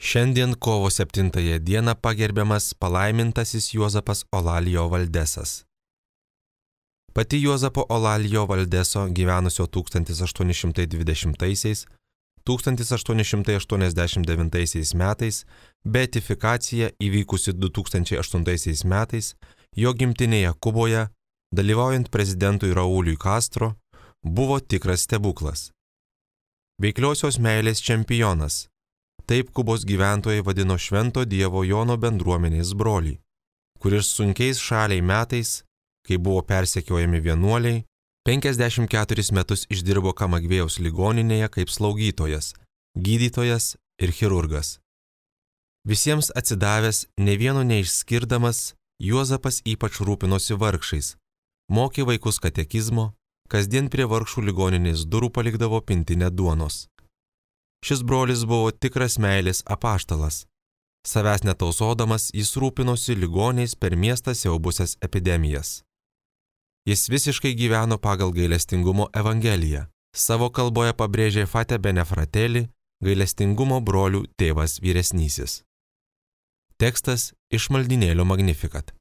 Šiandien kovo 7 dieną pagerbiamas palaimintasis Juozapas Olalijo Valdesas. Pati Juozapo Olalijo Valdeso gyvenusio 1880–1889 metais, beatifikacija įvykusi 2008 metais, jo gimtinėje Kuboje, dalyvaujant prezidentui Rauliui Castro, buvo tikras stebuklas. Veikliosios meilės čempionas. Taip Kubos gyventojai vadino Švento Dievo Jono bendruomenės brolį, kuris sunkiais šaliai metais, kai buvo persekiojami vienuoliai, 54 metus išdirbo Kamagvėjaus ligoninėje kaip slaugytojas, gydytojas ir chirurgas. Visiems atsidavęs, ne vieno neišskirdamas, Juozapas ypač rūpinosi vargšais, mokė vaikus katekizmo, kasdien prie vargšų ligoninės durų palikdavo pintinę duonos. Šis brolis buvo tikras meilės apaštalas. Savęs netausodamas, jis rūpinosi ligoniais per miestą siaubusias epidemijas. Jis visiškai gyveno pagal gailestingumo evangeliją. Savo kalboje pabrėžė Fate Bene Fratelli, gailestingumo brolių tėvas vyresnysis. Tekstas iš maldynėlio Magnificat.